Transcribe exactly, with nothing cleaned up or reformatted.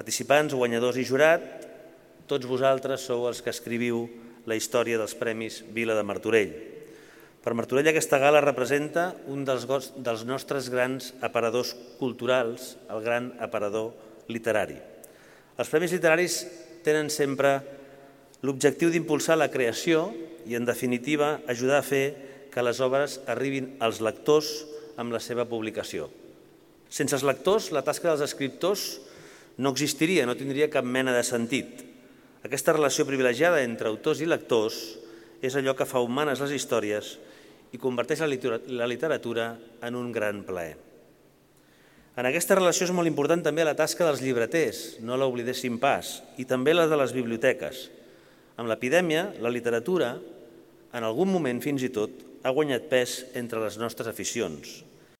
Participants, guanyadors i jurat, tots vosaltres sou els que escriviu la història dels Premis Vila de Martorell. Per Martorell aquesta gala representa un dels, dels nostres grans aparadors culturals, el gran aparador literari. Els Premis Literaris tenen sempre l'objectiu d'impulsar la creació i, en definitiva, ajudar a fer que les obres arribin als lectors amb la seva publicació. Sense els lectors, la tasca dels escriptors no existiria, no tindria cap mena de sentit. Aquesta relació privilegiada entre autors i lectors és allò que fa humanes les històries i converteix la literatura en un gran plaer. En aquesta relació és molt important també la tasca dels llibreters, no l'oblidéssim pas, i també la de les biblioteques. Amb l'epidèmia, la literatura, en algun moment fins i tot, ha guanyat pes entre les nostres aficions.